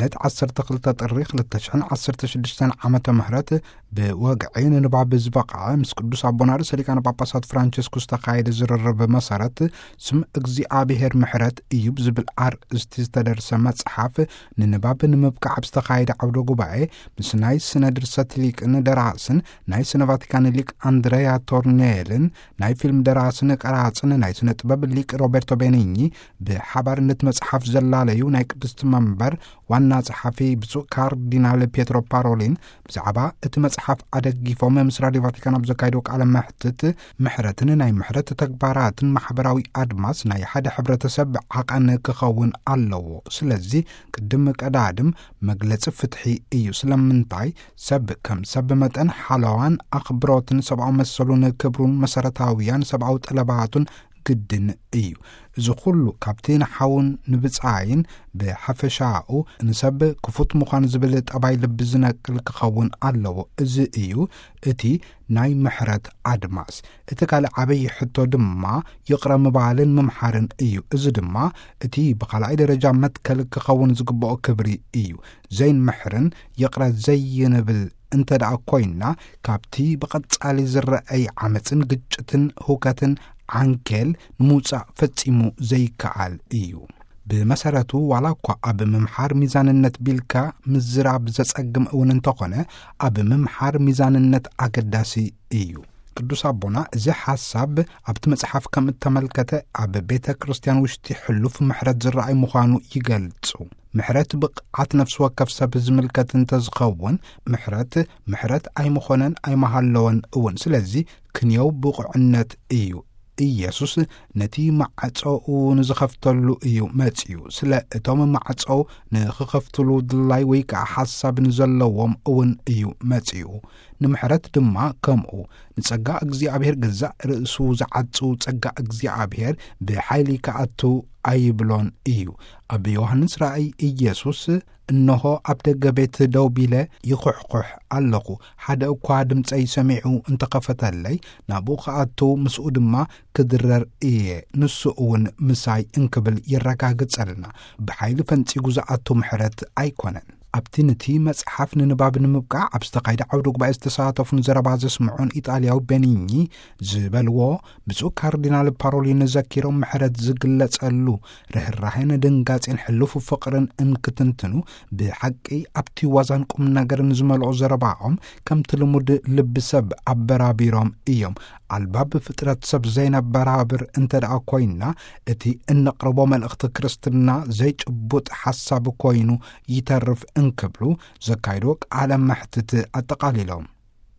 እቲ ዓሰርተ ክልተ ጥሪ ክልተ ሽሕን ዓሰርተ ሽዱሽተን ዓመተ ምህረት ብወግዒ ንንባብ ዝበቕዐ፣ ምስ ቅዱስ ኣቦና ርእሰ ሊቃነ ጳጳሳት ፍራንቸስኮስ ዝተኻየደ ዝርርብ መሰረት፣ ስም እግዚኣብሔር ምሕረት እዩ ብዝብል ኣርእስቲ ዝተደርሰ መጽሓፍ ንንባብ ንምብቃዕ ኣብ ዝተኻየደ ዓውደ ጉባኤ፣ ምስ ናይ ስነ ድርሰት ሊቅን ደራስን ናይ ስነ ቫቲካን ሊቅ ኣንድረያ ቶርኔልን ናይ ፊልም ደራስን ቀራጽን ናይ ስነ ጥበብ ሊቅ ሮቤርቶ ቤኒኚ ብሓባር ነቲ መጽሓፍ ዘላለዩ ናይ ቅድስቲ መንበር ዋና ጸሓፊ ብፁዕ ካርዲናል ፔትሮ ፓሮሊን ብዛዕባ እቲ መጽሓፍ ኣደጊፎም ምስ ራድዮ ቫቲካን ኣብ ዘካየዶ ቃለ መሕትት፣ ምሕረትን ናይ ምሕረት ተግባራትን ማሕበራዊ ኣድማስ ናይ ሓደ ሕብረተሰብ ዓቐን ክኸውን ኣለዎ። ስለዚ ቅድም ቀዳድም መግለጺ ፍትሒ እዩ። ስለምንታይ? ሰብ ከም ሰብ መጠን ሓለዋን ኣኽብሮትን ሰብኣዊ መሰሉን ክብሩን መሰረታውያን ሰብኣዊ ጠለባቱን ግድን እዩ። እዚ ኩሉ ካብቲ ንሓውን ንብጻይን ብሓፈሻኡ ንሰብ ክፉት ምዃን ዝብል ጠባይ ልቢ ዝነቅል ክኸውን ኣለዎ። እዚ እዩ እቲ ናይ ምሕረት ኣድማስ። እቲ ካልእ ዓበይ ሕቶ ድማ ይቕረ ምባልን ምምሓርን እዩ። እዚ ድማ እቲ ብኻልኣይ ደረጃ መትከል ክኸውን ዝግብኦ ክብሪ እዩ። ዘይንምሕርን ይቕረ ዘይንብል እንተ ደኣ ኮይንና፣ ካብቲ ብቐጻሊ ዝረኣይ ዓመጽን ግጭትን ሁከትን ዓንኬል ንምውጻእ ፈጺሙ ዘይከኣል እዩ። ብመሰረቱ፣ ዋላ እኳ ኣብ ምምሓር ሚዛንነት ቢልካ ምዝራብ ዘጸግም እውን እንተኾነ፣ ኣብ ምምሓር ሚዛንነት ኣገዳሲ እዩ። ቅዱስ ኣቦና እዚ ሓሳብ ኣብቲ መጽሓፍ ከም እተመልከተ፣ ኣብ ቤተ ክርስቲያን ውሽጢ ሕሉፍ ምሕረት ዝረኣይ ምዃኑ ይገልጹ። ምሕረት ብቕዓት ነፍሲ ወከፍ ሰብ ዝምልከት እንተዝኸውን፣ ምሕረት፣ ምሕረት ኣይምኾነን ኣይመሃለወን እውን። ስለዚ ክንየው ብቑዕነት እዩ። ኢየሱስ ነቲ ማዕጾኡ ንዝኸፍተሉ እዩ መጺኡ። ስለ እቶም ማዕጾ ንኽኸፍትሉ ድላይ ወይ ከኣ ሓሳብ ንዘለዎም እውን እዩ መጺኡ። ንምሕረት ድማ ከምኡ። ንጸጋ እግዚኣብሔር ገዛእ ርእሱ ዝዓጹ ጸጋ እግዚኣብሔር ብሓይሊ ክኣቱ ኣይብሎን እዩ። ኣብ ዮሃንስ ራእይ ኢየሱስ፣ "እንሆ ኣብ ደገ ቤት ደው ቢለ ይኹሕኩሕ ኣለኹ። ሓደ እኳ ድምጸይ ሰሚዑ እንተኸፈተለይ፣ ናብኡ ክኣቱ ምስኡ ድማ ክድረር እየ፣ ንሱ እውን ምሳይ" እንክብል የረጋግጸልና። ብሓይሊ ፈንጺጉ ዝኣቱ ምሕረት ኣይኮነን። ኣብቲ ነቲ መጽሓፍ ንንባብ ንምብቃዕ ኣብ ዝተኻየደ ዓውደ ጉባኤ ዝተሳተፉን ዘረባ ዘስምዑን ኢጣልያዊ ቤኒኚ ዝበልዎ፣ ብፁዕ ካርዲናል ፓሮሊን ዘኪሮም፣ ምሕረት ዝግለጸሉ ርህራሄን ድንጋጼን ሕሉፍ ፍቕርን እንክትንትኑ፣ ብሓቂ ኣብቲ ዋዛን ቁም ነገርን ዝመልኦ ዘረባኦም፣ ከምቲ ልሙድ ልቢ ሰብ ኣበራቢሮም እዮም። ኣልባብ ፍጥረት ሰብ ዘይነበራብር እንተ ደኣ ኮይንና፣ እቲ እነቕርቦ መልእኽቲ ክርስትና ዘይጭቡጥ ሓሳብ ኮይኑ ይተርፍ እንክብሉ ዘካይዶ ቃለ መሕትት ኣጠቓሊሎም።